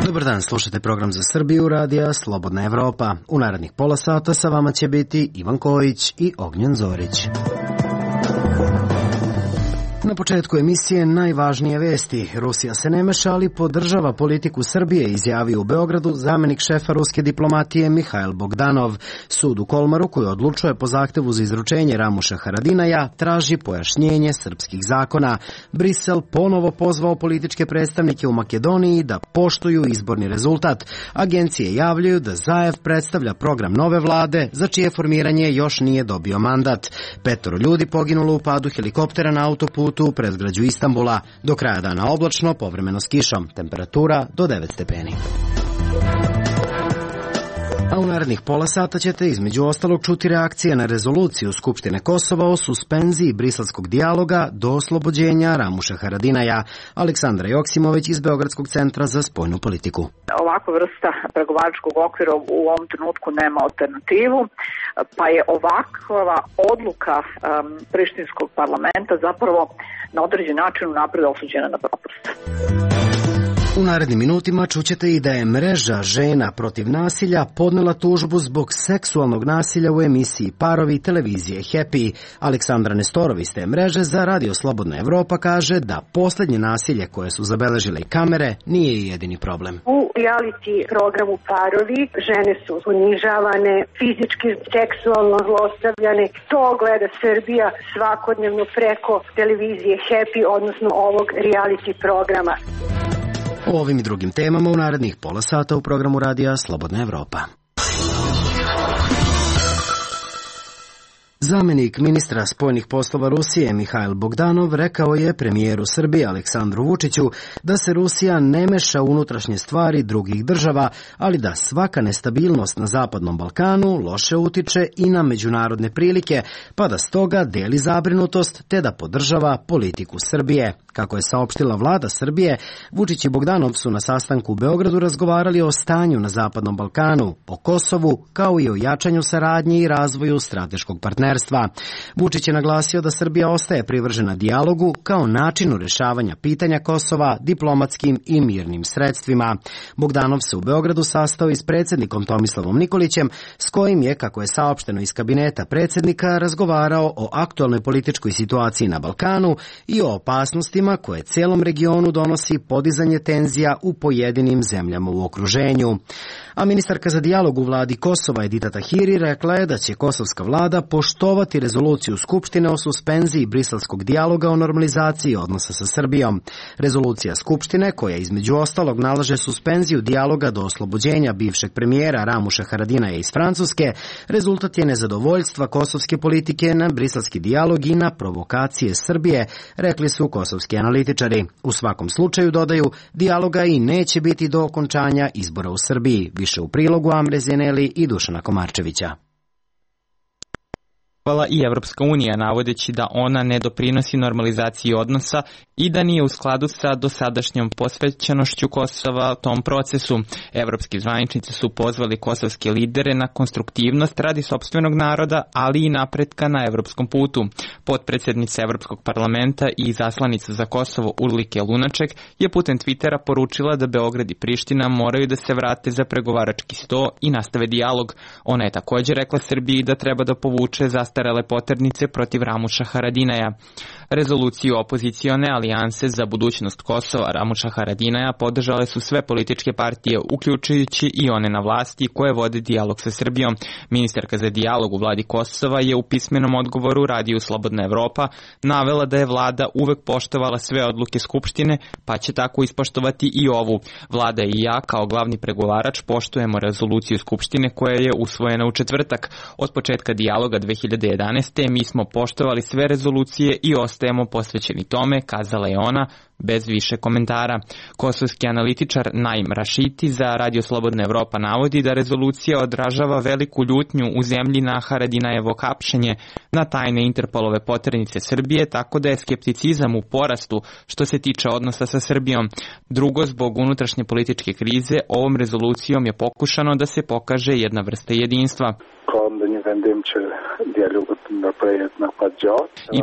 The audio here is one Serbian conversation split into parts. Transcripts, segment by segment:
Dobar dan, slušate program za Srbiju, radija Slobodna Evropa. U narednih pola sata sa vama će biti Ivan Kojić i Ognjen Zorić. Na početku emisije najvažnije vesti. Rusija se ne meša, ali podržava politiku Srbije, izjavio u Beogradu zamenik šefa ruske diplomatije Mihail Bogdanov. Sud u Kolmaru, koji odlučuje po zahtevu za izručenje Ramuša Haradinaja, traži pojašnjenje srpskih zakona. Brisel ponovo pozvao političke predstavnike u Makedoniji da poštuju izborni rezultat. Agencije javljaju da Zaev predstavlja program nove vlade, za čije formiranje još nije dobio mandat. 5 ljudi poginulo u padu helikoptera na autoputu u predgrađu Istanbula. Do kraja dana oblačno, povremeno s kišom. Temperatura do 9 stepeni. A u narednih pola sata ćete između ostalog čuti reakcije na rezoluciju Skupštine Kosova o suspenziji briselskog dijaloga do oslobođenja Ramuša Haradinaja. Aleksandra Joksimović iz Beogradskog centra za spoljnu politiku. Ovakva vrsta pregovaračkog okvira u ovom trenutku nema alternativu, pa je ovakva odluka prištinskog parlamenta zapravo na određen način unapred osuđena na propast. U narednim minutima čućete i da je mreža žena protiv nasilja podnela tužbu zbog seksualnog nasilja u emisiji Parovi televizije Happy. Aleksandra Nestorov iz te mreže za Radio Slobodna Evropa kaže da poslednje nasilje koje su zabeležile i kamere nije jedini problem. U reality programu Parovi žene su ponižavane, fizički, seksualno zlostavljane. To gleda Srbija svakodnevno preko televizije Happy, odnosno ovog reality programa. O ovim i drugim temama u narednih pola sata u programu Radija Slobodna Evropa. Zamenik ministra spoljnih poslova Rusije Mihail Bogdanov rekao je premijeru Srbije Aleksandru Vučiću da se Rusija ne meša u unutrašnje stvari drugih država, ali da svaka nestabilnost na Zapadnom Balkanu loše utiče i na međunarodne prilike, pa da stoga deli zabrinutost te da podržava politiku Srbije. Kako je saopštila vlada Srbije, Vučić i Bogdanov su na sastanku u Beogradu razgovarali o stanju na Zapadnom Balkanu, o Kosovu, kao i o jačanju saradnje i razvoju strateškog partnerstva. Vučić je naglasio da Srbija ostaje privržena dijalogu kao načinu rešavanja pitanja Kosova diplomatskim i mirnim sredstvima. Bogdanov se u Beogradu sastao i s predsjednikom Tomislavom Nikolićem, s kojim je, kako je saopšteno iz kabineta predsjednika, razgovarao o aktualnoj političkoj situaciji na Balkanu i o opasnostima koje celom regionu donosi podizanje tenzija u pojedinim zemljama u okruženju. A ministarka za dijalog u vladi Kosova Edita Tahiri rekla je da će kosovska vlada poštovati rezoluciju Skupštine o suspenziji briselskog dijaloga o normalizaciji odnosa sa Srbijom. Rezolucija Skupštine, koja između ostalog nalaže suspenziju dijaloga do oslobođenja bivšeg premijera Ramuša Haradinaja iz Francuske, rezultat je nezadovoljstva kosovske politike na briselski dijalog i na provokacije Srbije, rekli su kosovski analitičari. U svakom slučaju, dodaju, dijaloga i neće biti do okončanja izbora u Srbiji. Više u prilogu Amre Zeneli i Dušana Komarčevića. I Evropska unija, navodeći da ona ne doprinosi normalizaciji odnosa i da nije u skladu sa dosadašnjom posvećenošću Kosova tom procesu. Evropski zvaničnici su pozvali kosovske lidere na konstruktivnost radi sopstvenog naroda, ali i napretka na evropskom putu. Potpredsjednica Evropskog parlamenta i zaslanica za Kosovo Urlike Lunaček je putem Twittera poručila da Beograd i Priština moraju da se vrate za pregovarački sto i nastave dijalog. Ona je također rekla Srbiji da treba da povuče zastarele poternice protiv Ramuša Haradinaja. Rezoluciju opozicione alijanse za budućnost Kosova Ramuša Haradinaja podržale su sve političke partije, uključujući i one na vlasti koje vode dijalog sa Srbijom. Ministarka za dijalog u vladi Kosova je u pismenom odgovoru Radiju Slobodna Evropa navela da je vlada uvek poštovala sve odluke Skupštine, pa će tako ispoštovati i ovu. Vlada i ja kao glavni pregovarač poštujemo rezoluciju Skupštine koja je usvojena u četvrtak. Od početka dijaloga 2019. 2011. mi smo poštovali sve rezolucije i ostajemo posvećeni tome, kazala je ona, bez više komentara. Kosovski analitičar Naim Rašiti za Radio Slobodna Evropa navodi da rezolucija odražava veliku ljutnju u zemlji na Haradinajevo hapšenje na tajne Interpolove poternice Srbije, tako da je skepticizam u porastu što se tiče odnosa sa Srbijom. Drugo, zbog unutrašnje političke krize, ovom rezolucijom je pokušano da se pokaže jedna vrsta jedinstva.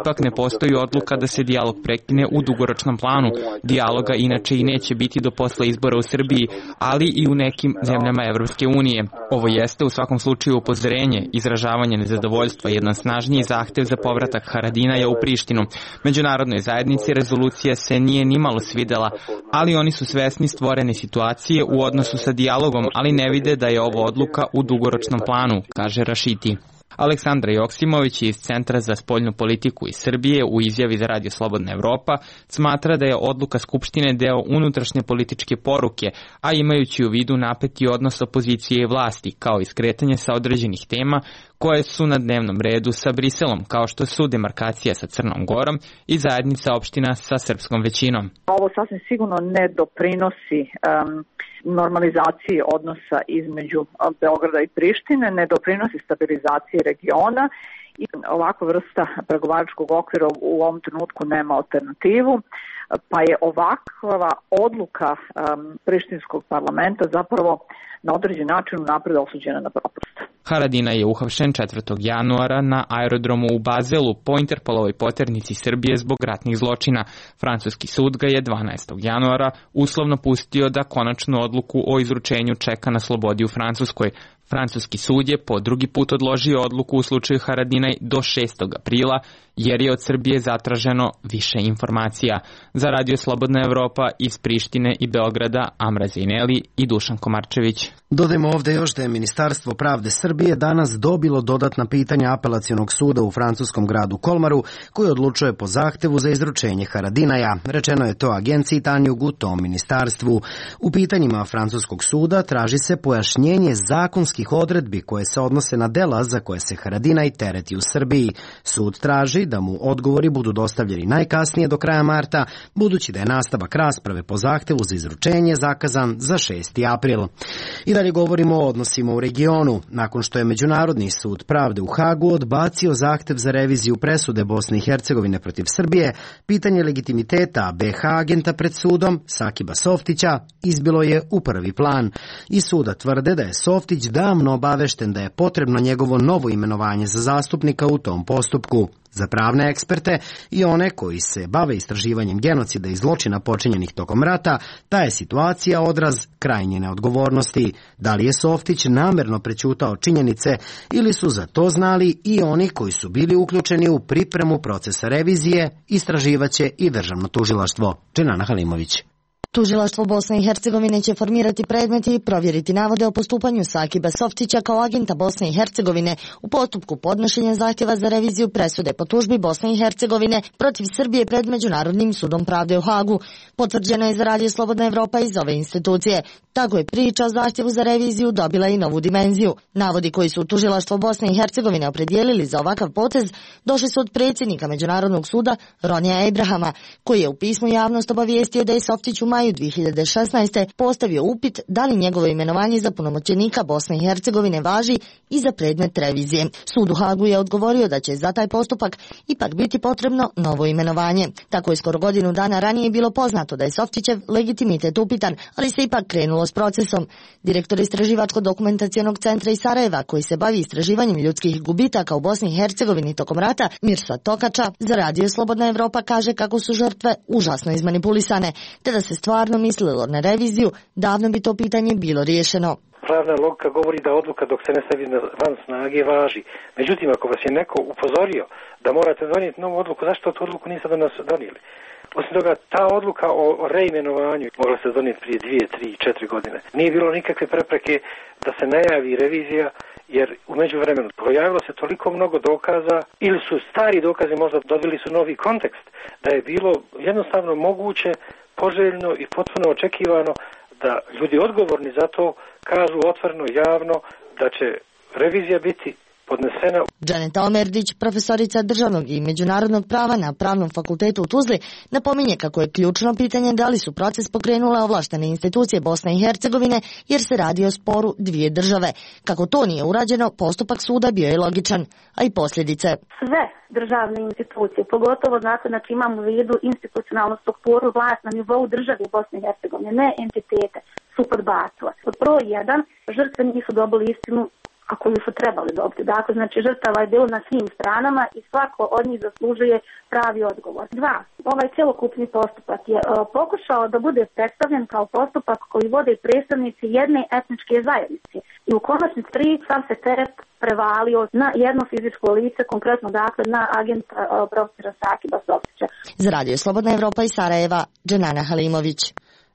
Ipak ne postoji odluka da se dijalog prekine u dugoročnom planu. Dijaloga inače i neće biti do posle izbora u Srbiji, ali i u nekim zemljama Evropske unije. Ovo jeste u svakom slučaju upozorenje, izražavanje nezadovoljstva, jedan snažniji zahtev za povratak Haradinaja u Prištinu. Međunarodnoj zajednici rezolucija se nije nimalo svidela, ali oni su svesni stvorene situacije u odnosu sa dijalogom, ali ne vide da je ovo odluka u dugoročnom planu, kaže Rašiti. Aleksandra Joksimović iz Centra za spoljnu politiku iz Srbije u izjavi za Radio Slobodna Evropa smatra da je odluka Skupštine deo unutrašnje političke poruke, a imajući u vidu napeti odnos opozicije i vlasti, kao i skretanje sa određenih tema koje su na dnevnom redu sa Briselom, kao što su demarkacija sa Crnom Gorom i zajednica opština sa srpskom većinom. Ovo sasvim sigurno ne doprinosi normalizaciji odnosa između Beograda i Prištine, ne doprinosi stabilizaciji regiona i ovakva vrsta pregovaračkog okvira u ovom trenutku nema alternativu, pa je ovakva odluka prištinskog parlamenta zapravo na određen način unapred osuđena na propast. Haradinaj je uhapšen 4. januara na aerodromu u Bazelu po Interpolovoj poternici Srbije zbog ratnih zločina. Francuski sud ga je 12. januara uslovno pustio da konačnu odluku o izručenju čeka na slobodi u Francuskoj. Francuski sud je po drugi put odložio odluku u slučaju Haradinaj do 6. aprila, jer je od Srbije zatraženo više informacija. Za Radio Slobodna Evropa iz Prištine i Beograda, Amra Zejneli i Dušan Komarčević. Dodajmo ovde još da je Ministarstvo pravde Srbije danas dobilo dodatna pitanja apelacionog suda u francuskom gradu Kolmaru, koji odlučuje po zahtevu za izručenje Haradinaja. Rečeno je to agenciji Tanjug u tom ministarstvu. U pitanjima francuskog suda traži se pojašnjenje zakonskih odredbi koje se odnose na dela za koje se Haradinaj tereti u Srbiji. Sud traži da mu odgovori budu dostavljeni najkasnije do kraja marta, budući da je nastavak rasprave po zahtevu za izručenje zakazan za 6. april. I dalje govorimo o odnosima u regionu. Nakon što je Međunarodni sud pravde u Hagu odbacio zahtev za reviziju presude Bosne i Hercegovine protiv Srbije, pitanje legitimiteta BH agenta pred sudom, Sakiba Softića, izbilo je u prvi plan. I suda tvrde da je Softić davno obavešten da je potrebno njegovo novo imenovanje za zastupnika u tom postupku. Za pravne eksperte i one koji se bave istraživanjem genocida i zločina počinjenih tokom rata, ta je situacija odraz krajnje neodgovornosti. Da li je Softić namerno prećutao činjenice ili su za to znali i oni koji su bili uključeni u pripremu procesa revizije, istraživaće i državno tužilaštvo. Dženana Halimović. Tužilaštvo Bosne i Hercegovine će formirati predmet i provjeriti navode o postupanju Sakiba Softića kao agenta Bosne i Hercegovine u postupku podnošenja zahtjeva za reviziju presude po tužbi Bosne i Hercegovine protiv Srbije pred Međunarodnim sudom pravde u Hagu. Potvrđeno je za Radio Slobodna Evropa iz ove institucije. Tako je priča o zahtjevu za reviziju dobila i novu dimenziju. Navodi koji su Tužilaštvo Bosne i Hercegovine opredijelili za ovakav potez došli su od predsjednika Međunarodnog suda Ronija Abrahama, koji je u pismu javnost obavijestio da je Softić u maju 2016. postavio upit da li njegovo imenovanje za punomoćenika Bosne i Hercegovine važi i za predmet revizije. Sud u Hagu je odgovorio da će za taj postupak ipak biti potrebno novo imenovanje. Tako je skoro godinu dana ranije bilo poznato da je Softićev legitimitet upitan, ali se ipak krenulo s procesom. Direktor Istraživačko-dokumentacionog centra iz Sarajeva, koji se bavi istraživanjem ljudskih gubitaka u Bosni i Hercegovini tokom rata, Mirsad Tokača, za Radio Slobodna Evropa kaže kako su žrtve užasno izmanipulisane, te da se stvarno mislilo na reviziju, davno bi to pitanje bilo riješeno. Pravna logika govori da odluka dok se ne stavi van snage važi. Međutim, ako vas je neko upozorio da morate donijeti novu odluku, zašto tu odluku niste do nas donijeli? Osim toga, ta odluka o reimenovanju mogla se donijeti prije 2, 3, 4 godine. Nije bilo nikakve prepreke da se najavi revizija, jer u međuvremenu pojavilo se toliko mnogo dokaza, ili su stari dokazi možda dobili su novi kontekst, da je bilo jednostavno moguće, poželjno i potpuno očekivano da ljudi odgovorni za to kažu otvoreno, javno, da će revizija biti podnesena. Džaneta Omerdić, profesorica državnog i međunarodnog prava na Pravnom fakultetu u Tuzli, napominje kako je ključno pitanje da li su proces pokrenule ovlaštene institucije Bosne i Hercegovine jer se radi o sporu dvije države. Kako to nije urađeno, postupak suda bio je logičan, a i posljedice. Sve državne institucije, pogotovo znači imamo u vidu institucionalnu strukturu vlast na nivou države Bosne i Hercegovine, ne entitete, su podbacile. Pod broj 1, žrtve nisu dobili istinu a koju su trebali dobiti. Dakle, znači žrtava je bilo na svim stranama i svako od njih zaslužuje pravi odgovor. 2. Ovaj celokupni postupak je pokušao da bude predstavljen kao postupak koji vode predstavnici jedne etničke zajednice. I u konačnici 3 sam se teret prevalio na jedno fizičko lice, konkretno dakle na agenta profesora Sakiba Softića. Za Radio Slobodna Evropa iz Sarajeva, Dženana Halimović.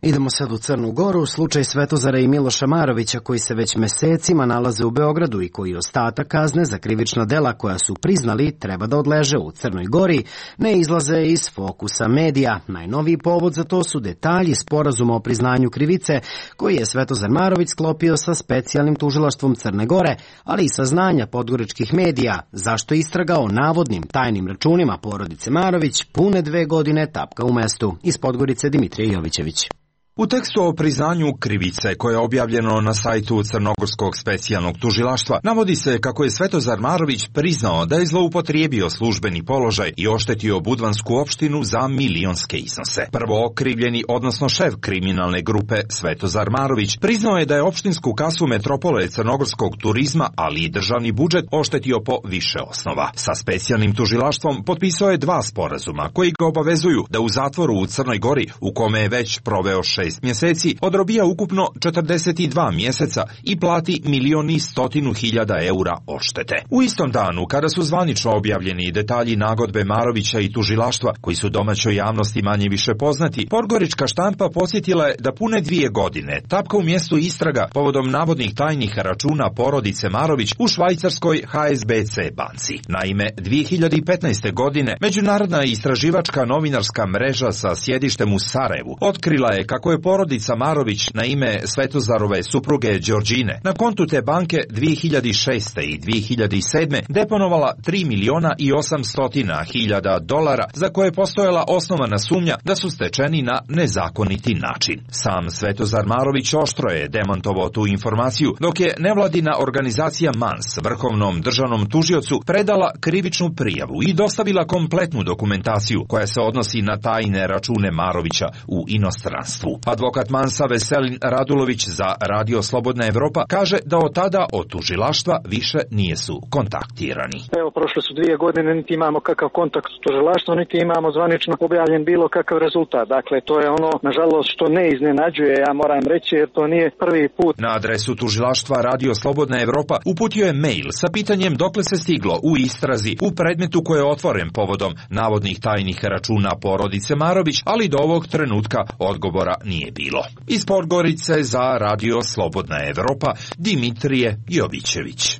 Idemo sad u Crnu Goru, slučaj Svetozara i Miloša Marovića koji se već mesecima nalaze u Beogradu i koji ostatak kazne za krivična dela koja su priznali treba da odleže u Crnoj Gori, ne izlaze iz fokusa medija. Najnoviji povod za to su detalji sporazuma o priznanju krivice koji je Svetozar Marović sklopio sa specijalnim tužilaštvom Crne Gore, ali i saznanja podgoričkih medija zašto istraga o navodnim tajnim računima porodice Marović pune 2 godine tapka u mestu. Iz Podgorice Dimitrije Jovićević. U tekstu o priznanju krivice koje je objavljeno na sajtu Crnogorskog specijalnog tužilaštva navodi se kako je Svetozar Marović priznao da je zloupotrijebio službeni položaj i oštetio Budvansku opštinu za milionske iznose. Prvo okrivljeni, odnosno šef kriminalne grupe Svetozar Marović, priznao je da je opštinsku kasu metropole crnogorskog turizma, ali i državni budžet oštetio po više osnova. Sa specijalnim tužilaštvom potpisao je 2 sporazuma koji ga obavezuju da u zatvoru u Crnoj Gori, u kome je već proveo 6 mjeseci, odrobija ukupno 42 mjeseca i plati 1.100.000 eura odštete. U istom danu, kada su zvanično objavljeni detalji nagodbe Marovića i tužilaštva, koji su domaćoj javnosti manje više poznati, podgorička štampa podsjetila je da pune 2 godine tapka u mjestu istraga povodom navodnih tajnih računa porodice Marović u švajcarskoj HSBC banci. Naime, 2015. godine Međunarodna istraživačka novinarska mreža sa sjedištem u Sarajevu otkrila je kako je porodica Marović na ime Svetozarove supruge Đorđine na kontu te banke 2006. i 2007. deponovala 3.800.000 dolara za koje je postojala osnovana sumnja da su stečeni na nezakoniti način. Sam Svetozar Marović oštro je demantovao tu informaciju, dok je nevladina organizacija MANS Vrhovnom državnom tužiocu predala krivičnu prijavu i dostavila kompletnu dokumentaciju koja se odnosi na tajne račune Marovića u inostranstvu. Advokat Mansa Veselin Radulović za Radio Slobodna Evropa kaže da od tada od tužilaštva više nisu kontaktirani. Evo, prošle su 2 godine, niti imamo kakav kontakt s tužilaštvom, niti imamo zvanično objavljen bilo kakav rezultat. Dakle, to je ono, nažalost, što ne iznenađuje, ja moram reći, jer to nije prvi put. Na adresu tužilaštva Radio Slobodna Evropa uputio je mail sa pitanjem dokle se stiglo u istrazi u predmetu koji je otvoren povodom navodnih tajnih računa porodice Marović, ali do ovog trenutka odgovora nije bilo. Iz Podgorice za Radio Slobodna Evropa, Dimitrije Jovićević.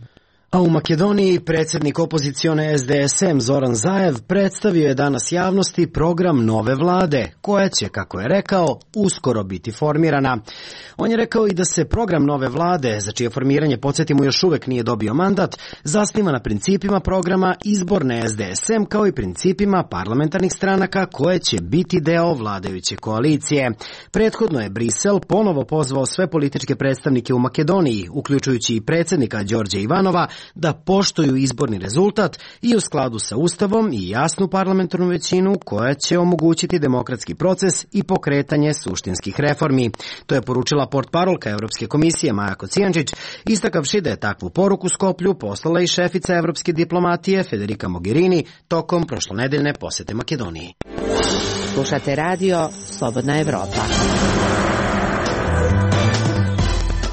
A u Makedoniji predsjednik opozicione SDSM Zoran Zaev predstavio je danas javnosti program nove vlade, koja će, kako je rekao, uskoro biti formirana. On je rekao i da se program nove vlade, za čije formiranje, podsjetimo, još uvek nije dobio mandat, zasniva na principima programa izborne SDSM kao i principima parlamentarnih stranaka koje će biti deo vladajuće koalicije. Prethodno je Brisel ponovo pozvao sve političke predstavnike u Makedoniji, uključujući i predsjednika Đorđa Ivanova, da poštuju izborni rezultat i u skladu sa Ustavom i jasnu parlamentarnu većinu koja će omogućiti demokratski proces i pokretanje suštinskih reformi. To je poručila portparolka Evropske komisije Maja Kocijančić, istakavši da je takvu poruku Skoplju poslala i šefica evropske diplomatije Federica Mogherini tokom prošlonedeljne posete Makedoniji. Slušate Radio Slobodna Evropa.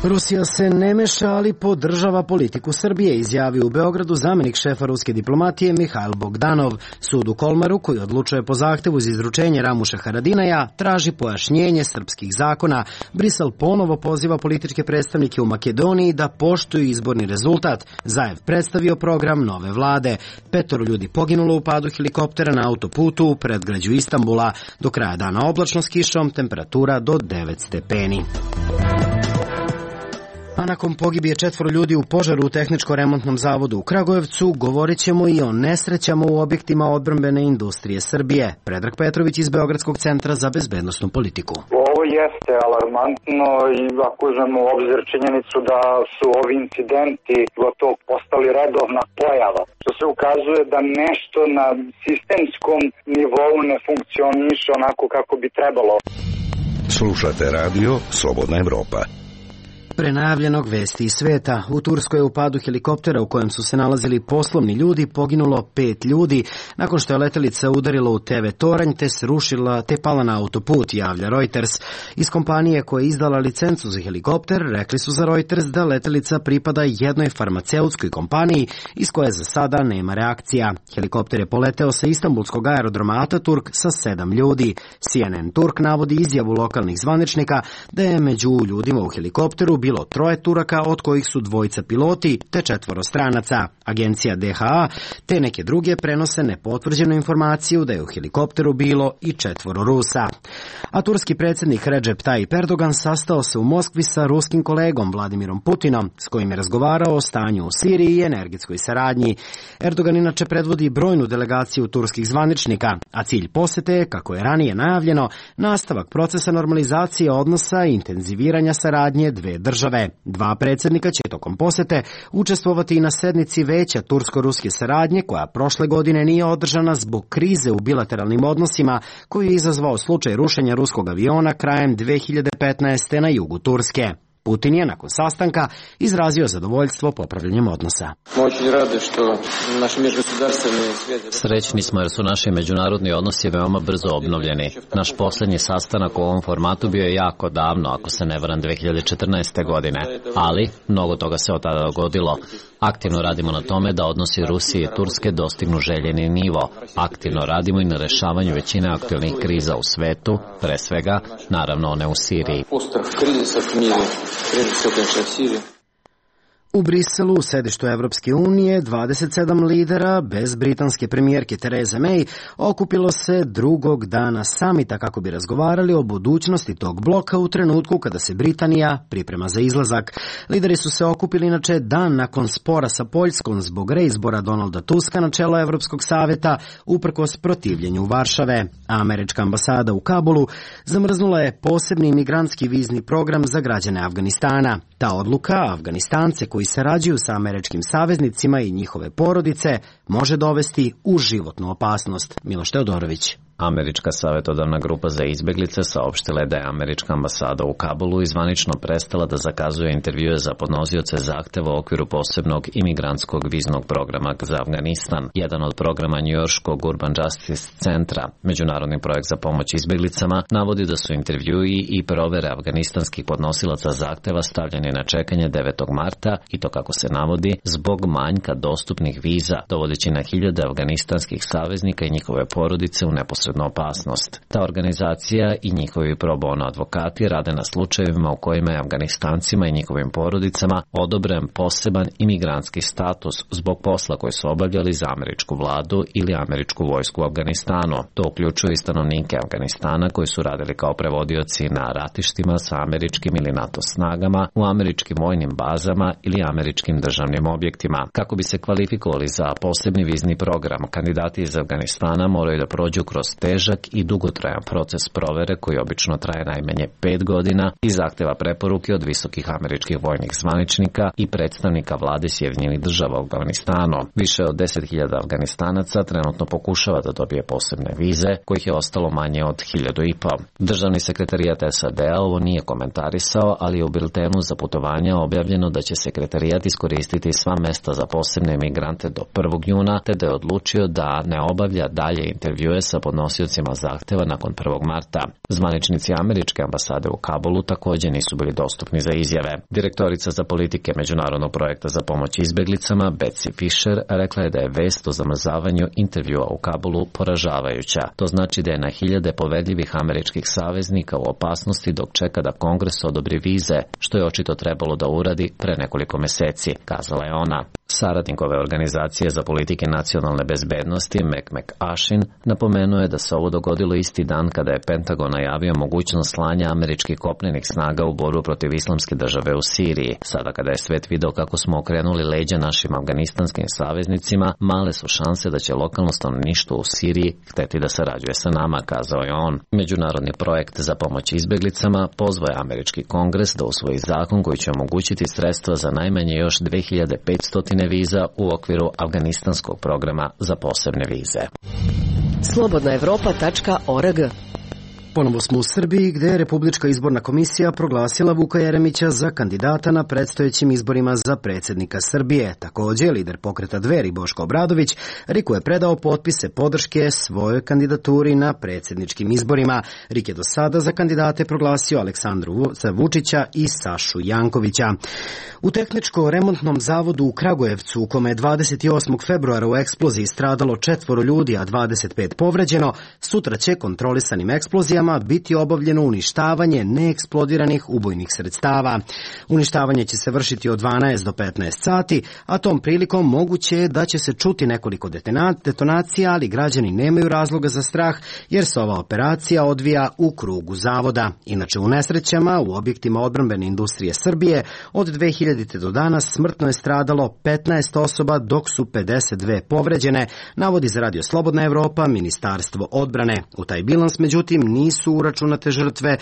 Rusija se ne meša, ali podržava politiku Srbije, izjavio u Beogradu zamjenik šefa ruske diplomatije Mihail Bogdanov. Sud u Kolmaru, koji odlučuje po zahtevu za izručenje Ramuša Haradinaja, traži pojašnjenje srpskih zakona. Brisel ponovo poziva političke predstavnike u Makedoniji da poštuju izborni rezultat. Zaev predstavio program nove vlade. 5 ljudi poginulo u padu helikoptera na autoputu u predgrađu Istanbula. Do kraja dana oblačno s kišom, temperatura do 9 stepeni. A nakon pogibije 4 ljudi u požaru u Tehničko-remontnom zavodu u Kragujevcu, govorit ćemo i o nesrećama u objektima odbrambene industrije Srbije. Predrag Petrović iz Beogradskog centra za bezbednosnu politiku. Ovo jeste alarmantno i ako uzmemo u obzir činjenicu da su ovi incidenti gotovo postali redovna pojava, što se ukazuje da nešto na sistemskom nivou ne funkcioniše onako kako bi trebalo. Slušate radio Slobodna Evropa. Prenajavljenog vesti iz sveta. U Turskoj je u padu helikoptera u kojem su se nalazili poslovni ljudi poginulo 5 ljudi nakon što je letelica udarila u TV toranj te srušila te pala na autoput, javlja Reuters. Iz kompanije koja je izdala licencu za helikopter rekli su za Reuters da letelica pripada jednoj farmaceutskoj kompaniji iz koje za sada nema reakcija. Helikopter je poleteo sa istanbulskog aerodroma Ataturk sa 7 ljudi. CNN Turk navodi izjavu lokalnih zvaničnika da je među ljudima u helikopteru bilo 3 Turaka, od kojih su 2 piloti te 4 stranaca. Agencija DHA te neke druge prenose nepotvrđenu informaciju da je u helikopteru bilo i 4 Rusa. A turski predsjednik Recep Tayyip Erdogan sastao se u Moskvi sa ruskim kolegom Vladimirom Putinom, s kojim je razgovarao o stanju u Siriji i energetskoj saradnji. Erdogan inače predvodi brojnu delegaciju turskih zvaničnika, a cilj posete je, kako je ranije najavljeno, nastavak procesa normalizacije odnosa i intenziviranja saradnje dve države. 2 predsjednika će tokom posete učestvovati i na sednici Veća tursko-ruske saradnje, koja prošle godine nije održana zbog krize u bilateralnim odnosima koju je izazvao slučaj rušenja ruskog aviona krajem 2015. na jugu Turske. Putin je nakon sastanka izrazio zadovoljstvo popravljanjem odnosa. Srećni smo jer su naši međunarodni odnosi veoma brzo obnovljeni. Naš posljednji sastanak u ovom formatu bio je jako davno, ako se ne varam 2014. godine, ali mnogo toga se od tada dogodilo. Aktivno radimo na tome da odnosi Rusije i Turske dostignu željeni nivo. Aktivno radimo i na rešavanju većine aktualnih kriza u svetu, pre svega, naravno one u Siriji. U Briselu, u sedištu Evropske unije, 27 lidera, bez britanske premijerke Therese May, okupilo se drugog dana samita kako bi razgovarali o budućnosti tog bloka u trenutku kada se Britanija priprema za izlazak. Lideri su se okupili inače dan nakon spora sa Poljskom zbog reizbora Donalda Tuska na čelo Evropskog saveta, uprkos protivljenju Varšave. Američka ambasada u Kabulu zamrznula je posebni imigrantski vizni program za građane Afganistana. Ta odluka Afganistance koji sarađuju sa američkim saveznicima i njihove porodice može dovesti u životnu opasnost. Miloš Teodorović. Američka savjetodavna grupa za izbjeglice saopštila je da je američka ambasada u Kabulu zvanično prestala da zakazuje intervjue za podnosioce zahteva u okviru posebnog imigrantskog viznog programa za Afganistan. Jedan od programa njujorškog Urban Justice centra, međunarodni projekt za pomoć izbjeglicama, navodi da su intervjui i provere afganistanskih podnosilaca zahteva stavljeni na čekanje 9. marta i to, kako se navodi, zbog manjka dostupnih viza, dovodeći na hiljade afganistanskih saveznika i njihove porodice u neposrednu opasnost. Ta organizacija i njihovi pro bono advokati rade na slučajevima u kojima je Afganistancima i njihovim porodicama odobren poseban imigrantski status zbog posla koji su obavljali za američku vladu ili američku vojsku u Afganistanu. To uključuje i stanovnike Afganistana koji su radili kao prevodioci na ratištima sa američkim ili NATO snagama, u američkim vojnim bazama ili američkim državnim objektima. Kako bi se kvalifikovali za posebni vizni program, kandidati iz Afganistana moraju da prođu kroz težak i dugotrajan proces provere koji obično traje najmanje 5 godina i zahteva preporuke od visokih američkih vojnih zvaničnika i predstavnika vlade Sjedinjenih Država u Afganistanu. Više od 10.000 Afganistanaca trenutno pokušava da dobije posebne vize, kojih je ostalo manje od 1.500. Državni sekretarijat SAD-a ovo nije komentarisao, ali je u biltenu za putovanja objavljeno da će sekretarijat iskoristiti sva mesta za posebne imigrante do 1. juna, te da je odlučio da ne obavlja dalje intervjue sa podnosiocima zahteva nakon 1. marta. Zvaničnici američke ambasade u Kabulu također nisu bili dostupni za izjave. Direktorica za politike Međunarodnog projekta za pomoć izbjeglicama Betsy Fisher rekla je da je vest o zamrzavanju intervjua u Kabulu poražavajuća. To znači da je na hiljade povedljivih američkih saveznika u opasnosti dok čeka da Kongres odobri vize, što je očito trebalo da uradi pre nekoliko meseci, kazala je ona. Saradnik ove organizacije za politike nacionalne bezbednosti, Mac McAshin, napomenuo je da se ovo dogodilo isti dan kada je Pentagon najavio mogućnost slanja američkih kopnenih snaga u borbu protiv islamske države u Siriji. Sada kada je svet video kako smo okrenuli leđa našim afganistanskim saveznicima, male su šanse da će lokalno stanovništvo u Siriji hteti da sarađuje sa nama, kazao je on. Međunarodni projekt za pomoć izbeglicama pozvao je američki kongres da usvoji zakon koji će omogućiti sredstva za najmanje još 2500 viza u okviru afganistanskog programa za posebne vize. Slobodnaevropa.org. Ponovo smo u Srbiji, gde je Republička izborna komisija proglasila Vuka Jeremića za kandidata na predstojećim izborima za predsjednika Srbije. Također, lider pokreta Dveri Boško Obradović Riku je predao potpise podrške svojoj kandidaturi na predsjedničkim izborima. Rik je do sada za kandidate proglasio Aleksandru Vučića i Sašu Jankovića. U tehničko-remontnom zavodu u Kragujevcu, u kome je 28. februara u eksploziji stradalo 4 ljudi, a 25 povređeno, sutra će kontrolisanim eksplozijama biti obavljeno uništavanje neeksplodiranih ubojnih sredstava. Uništavanje će se vršiti od 12 do 15 sati, a tom prilikom moguće je da će se čuti nekoliko detonacija, ali građani nemaju razloga za strah jer se ova operacija odvija u krugu zavoda. Inače, u nesrećama u objektima odbrambene industrije Srbije od 2000. do danas smrtno je stradalo 15 osoba, dok su 52 povređene, navodi za Radio Slobodna Evropa Ministarstvo odbrane. U taj bilans, međutim, nisu uračunate žrtve,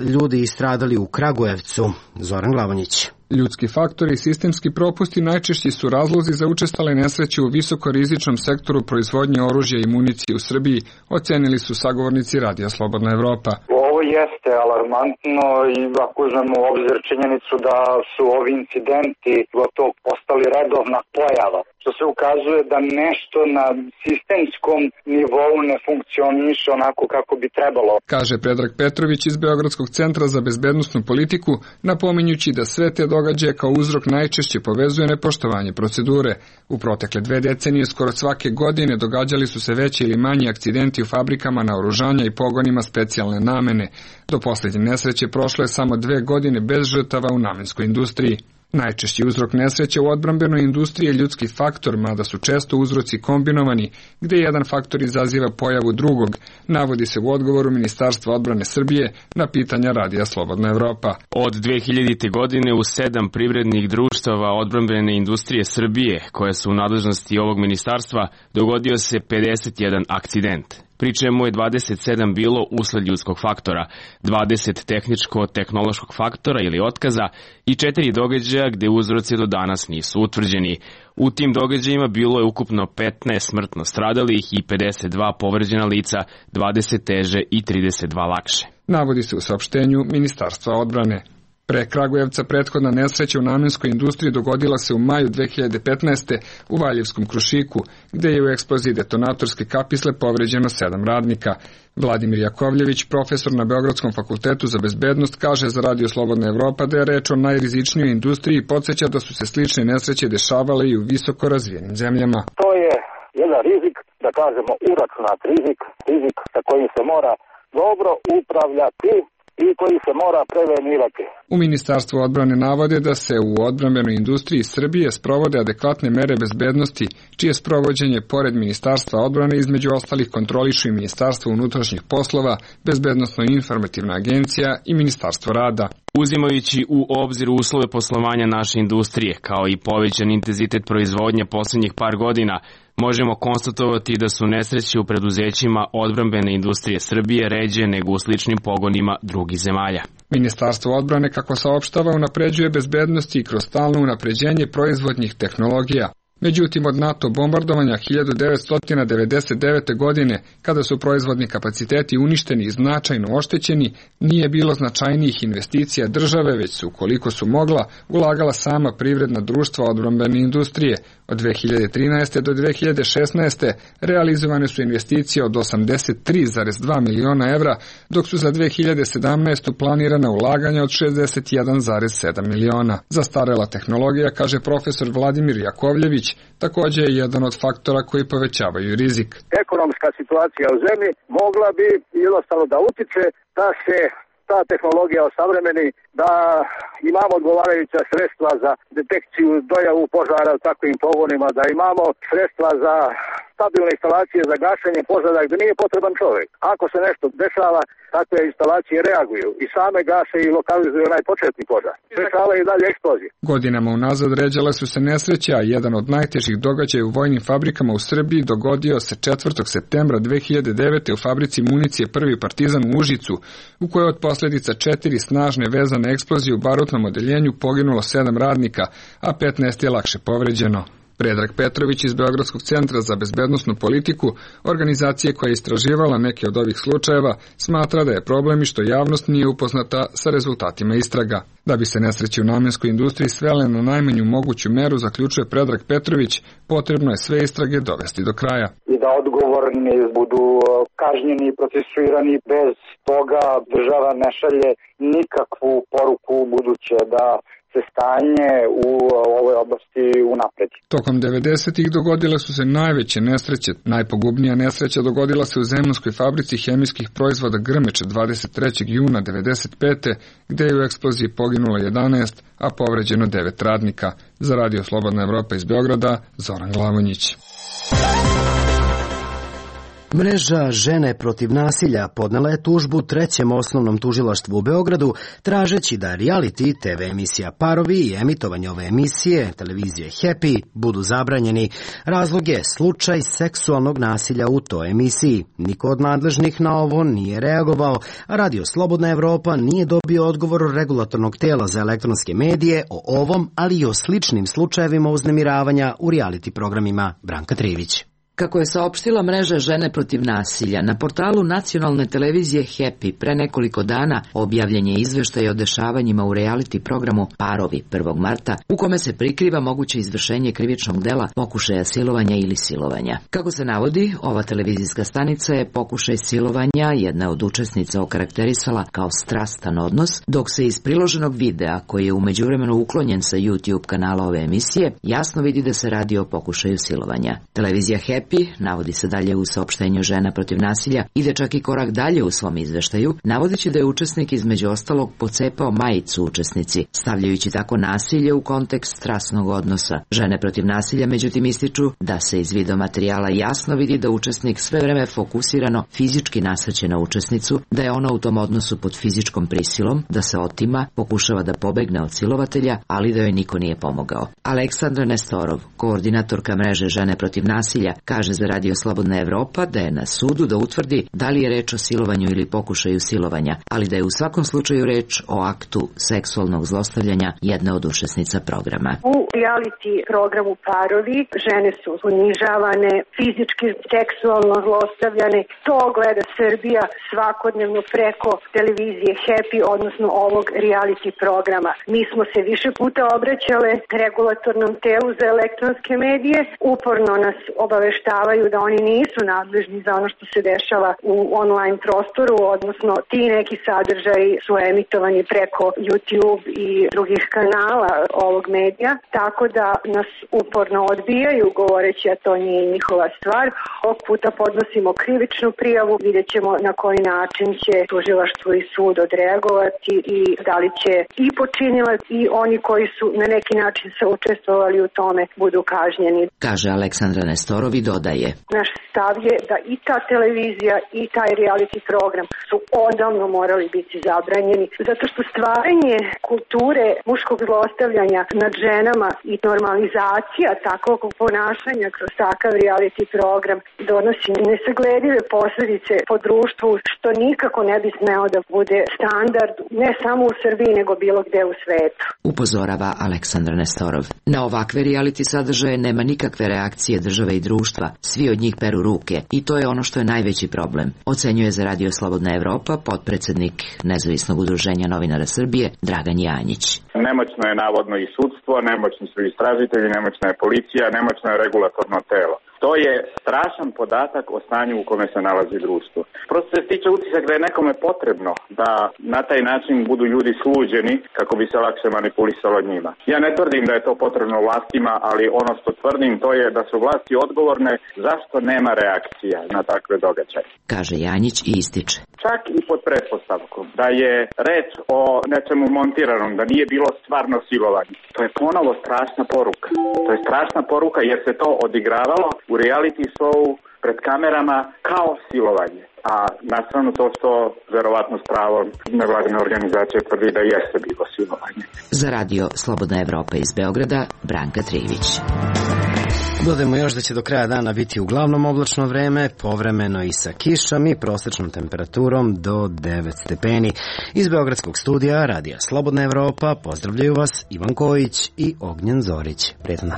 ljudi stradali u Kragujevcu. Zoran Glavonjić. Ljudski faktori i sistemski propusti najčešći su razlozi za učestale nesreće u visokorizičnom sektoru proizvodnje oružja i municije u Srbiji, ocenili su sagovornici Radija Slobodna Evropa. Ovo jeste alarmantno i ako uzmemo u obzir činjenicu da su ovi incidenti gotovo postali redovna pojava, što se ukazuje da nešto na sistemskom nivou ne funkcioniše onako kako bi trebalo. Kaže Predrag Petrović iz Beogradskog centra za bezbednosnu politiku, napominjući da sve te događaje kao uzrok najčešće povezuje nepoštovanje procedure. U protekle 2 decenije skoro svake godine događali su se veći ili manji akcidenti u fabrikama naoružanja i pogonima specijalne namene. Do posljednje nesreće prošlo je samo 2 godine bez žrtava u namenskoj industriji. Najčešći uzrok nesreće u odbrambenoj industriji je ljudski faktor, mada su često uzroci kombinovani, gde jedan faktor izaziva pojavu drugog, navodi se u odgovoru Ministarstva odbrane Srbije na pitanja Radija Slobodna Evropa. Od 2000. godine u 7 privrednih društava odbrambene industrije Srbije, koje su u nadležnosti ovog ministarstva, dogodio se 51 akcident, pri čemu je 27 bilo usled ljudskog faktora, 20 tehničko-tehnološkog faktora ili otkaza i 4 događaja gde uzroci do danas nisu utvrđeni. U tim događajima bilo je ukupno 15 smrtno stradalih i 52 povređena lica, 20 teže i 32 lakše. Navodi se u saopštenju Ministarstva odbrane. Pre Kragujevca prethodna nesreća u namenskoj industriji dogodila se u maju 2015. u Valjevskom Krušiku, gde je u eksploziji detonatorske kapisle povređeno 7 radnika. Vladimir Jakovljević, profesor na Beogradskom fakultetu za bezbednost, kaže za Radio Slobodna Evropa da je reč o najrizičnijoj industriji i podsjeća da su se slične nesreće dešavale i u visoko razvijenim zemljama. To je jedan rizik, da kažemo uračunat rizik sa kojim se mora dobro upravljati i koji se mora prevenirati. U Ministarstvu odbrane navode da se u odbrambenoj industriji Srbije sprovode adekvatne mere bezbednosti, čije sprovođenje pored Ministarstva odbrane između ostalih kontrolišu i Ministarstvo unutrašnjih poslova, Bezbednosno-informativna agencija i Ministarstvo rada. Uzimajući u obzir uslove poslovanja naše industrije, kao i povećan intenzitet proizvodnje poslednjih par godina, možemo konstatovati da su nesreće u preduzećima odbrambene industrije Srbije ređe nego u sličnim pogonima drugih zemalja. Ministarstvo odbrane, kako saopštava, unapređuje bezbednosti i kroz stalno unapređenje proizvodnih tehnologija. Međutim, od NATO bombardovanja 1999. godine, kada su proizvodni kapaciteti uništeni i značajno oštećeni, nije bilo značajnijih investicija države, već su, koliko su mogla, ulagala sama privredna društva odbrambene industrije. Od 2013. do 2016. realizovane su investicije od 83,2 miliona evra, dok su za 2017. planirana ulaganja od 61,7 miliona. Zastarela tehnologija, kaže profesor Vladimir Jakovljević, također je jedan od faktora koji povećavaju rizik. Ekonomska situacija u zemlji mogla bi jednostavno da utiče da se ta tehnologija osavremeni, da imamo odgovarajuća sredstva za detekciju dojavu požara u takvim pogonima, da imamo sredstva za stabilne instalacije za gašenje požara gde nije potreban čovek. Ako se nešto dešava, takve instalacije reaguju i same gase i lokalizuju onaj početni požar. Dešava i dalje eksplozije. Godinama unazad ređale su se nesreće, a jedan od najtežih događaja u vojnim fabrikama u Srbiji dogodio se 4. septembra 2009. u fabrici municije Prvi Partizan u Užicu, u kojoj od posljedica 4 snažne vezane eksplozije u barutnom odeljenju poginulo 7 radnika, a 15 je lakše povređeno. Predrag Petrović iz Beogradskog centra za bezbednosnu politiku, organizacije koja je istraživala neke od ovih slučajeva, smatra da je problem i što javnost nije upoznata sa rezultatima istraga. Da bi se nesreće u namenskoj industriji svele na najmanju moguću meru, zaključuje Predrag Petrović, potrebno je sve istrage dovesti do kraja. I da odgovorni budu kažnjeni i procesuirani, bez toga država ne šalje nikakvu poruku buduće da se stanje u ovoj oblasti unapredi. Tokom 90-ih dogodile su se najveće nesreće. Najpogubnija nesreća dogodila se u Zemunskoj fabrici hemijskih proizvoda Grmeč 23. juna 95. gde je u eksploziji poginulo 11, a povređeno 9 radnika. Za Radio Slobodna Evropa iz Beograda, Zoran Glavonjić. Mreža Žene protiv nasilja podnela je tužbu Trećem osnovnom tužilaštvu u Beogradu, tražeći da reality TV emisija Parovi i emitovanje ove emisije, televizije Happy, budu zabranjeni. Razlog je slučaj seksualnog nasilja u toj emisiji. Niko od nadležnih na ovo nije reagovao, a Radio Slobodna Evropa nije dobio odgovor regulatornog tela za elektronske medije o ovom, ali i o sličnim slučajevima uznemiravanja u reality programima. Branka Trivić. Kako je saopštila mreža Žene protiv nasilja, na portalu nacionalne televizije Happy pre nekoliko dana objavljen je izveštaj o dešavanjima u reality programu Parovi 1. marta, u kome se prikriva moguće izvršenje krivičnog dela pokušaja silovanja ili silovanja. Kako se navodi, ova televizijska stanica je pokušaj silovanja jedna od učesnica okarakterisala kao strastan odnos, dok se iz priloženog videa, koji je u međuvremenu uklonjen sa YouTube kanala ove emisije, jasno vidi da se radi o pokušaju silovanja. Televizija Happy, navodi se dalje u saopštenju Žena protiv nasilja, ide čak i korak dalje u svom izveštaju, navodeći da je učesnik između ostalog pocepao majicu učesnici, stavljajući tako nasilje u kontekst strasnog odnosa. Žene protiv nasilja međutim ističu da se iz videomaterijala jasno vidi da učesnik sve vreme fokusirano fizički nasrće na učesnicu, da je ona u tom odnosu pod fizičkom prisilom, da se otima, pokušava da pobegne od silovatelja, ali da joj niko nije pomogao. Aleksandra Nestorov, koordinatorka mreže Žene protiv nasilja, kaže za Radio Slobodna Evropa da je na sudu da utvrdi da li je reč o silovanju ili pokušaju silovanja, ali da je u svakom slučaju reč o aktu seksualnog zlostavljanja jedne od učesnica programa. U reality programu Parovi žene su unižavane, fizički, seksualno zlostavljane. To gleda Srbija svakodnevno preko televizije Happy, odnosno ovog reality programa. Mi smo se više puta obraćale regulatornom telu za elektronske medije, uporno nas obaveštavaju da oni nisu nadležni za ono što se dešava u online prostoru, odnosno ti neki sadržaji su emitovani preko YouTube i drugih kanala ovog medija, tako da nas uporno odbijaju govoreći da to nije njihova stvar. Ovog puta podnosimo krivičnu prijavu, vidjet ćemo na koji način će tužilaštvo i sud odreagovati i da li će i počinilac i oni koji su na neki način se učestvovali u tome budu kažnjeni. Kaže Aleksandra Nestorovi, dodaje. Naš stav je da i ta televizija i taj reality program su odavno morali biti zabranjeni, zato što stvaranje kulture muškog zlostavljanja nad ženama i normalizacija takvog ponašanja kroz takav reality program donosi nesagledive posljedice po društvu, što nikako ne bi smeo da bude standard ne samo u Srbiji nego bilo gde u svetu. Upozorava Aleksandra Nestorov. Na ovakve reality sadržaje nema nikakve reakcije države i društva, svi od njih peru ruke i to je ono što je najveći problem, ocenjuje za Radio Slobodna Evropa potpredsednik Nezavisnog udruženja novinara Srbije Dragan Janjić. Nemoćno je navodno i sudstvo, nemoćni su istražitelji, nemoćna je policija, nemoćno je regulatorno telo. To je strašan podatak o stanju u kome se nalazi društvo. Prosto se stiče utisak da je nekome potrebno da na taj način budu ljudi sluđeni kako bi se lakše manipulisalo njima. Ja ne tvrdim da je to potrebno vlastima, ali ono što tvrdim to je da su vlasti odgovorne zašto nema reakcija na takve događaje. Kaže Janjić i ističe. Čak i pod pretpostavkom da je reč o nečemu montiranom, da nije bilo stvarno silovanje. To je ponovo strašna poruka. To je strašna poruka jer se to odigravalo u reality showu pred kamerama kao silovanje. A nastavno to što verovatno s pravom nevladine organizacije tvrdi da jeste bilo silovanje. Za radio Slobodna Evropa iz Beograda, Branka Trijević. Dodajemo još da će do kraja dana biti uglavnom oblačno vreme, povremeno i sa kišom i prosečnom temperaturom do 9 stepeni. Iz Beogradskog studija radija Slobodna Evropa pozdravljaju vas Ivan Kojić i Ognjen Zorić. Prijetno.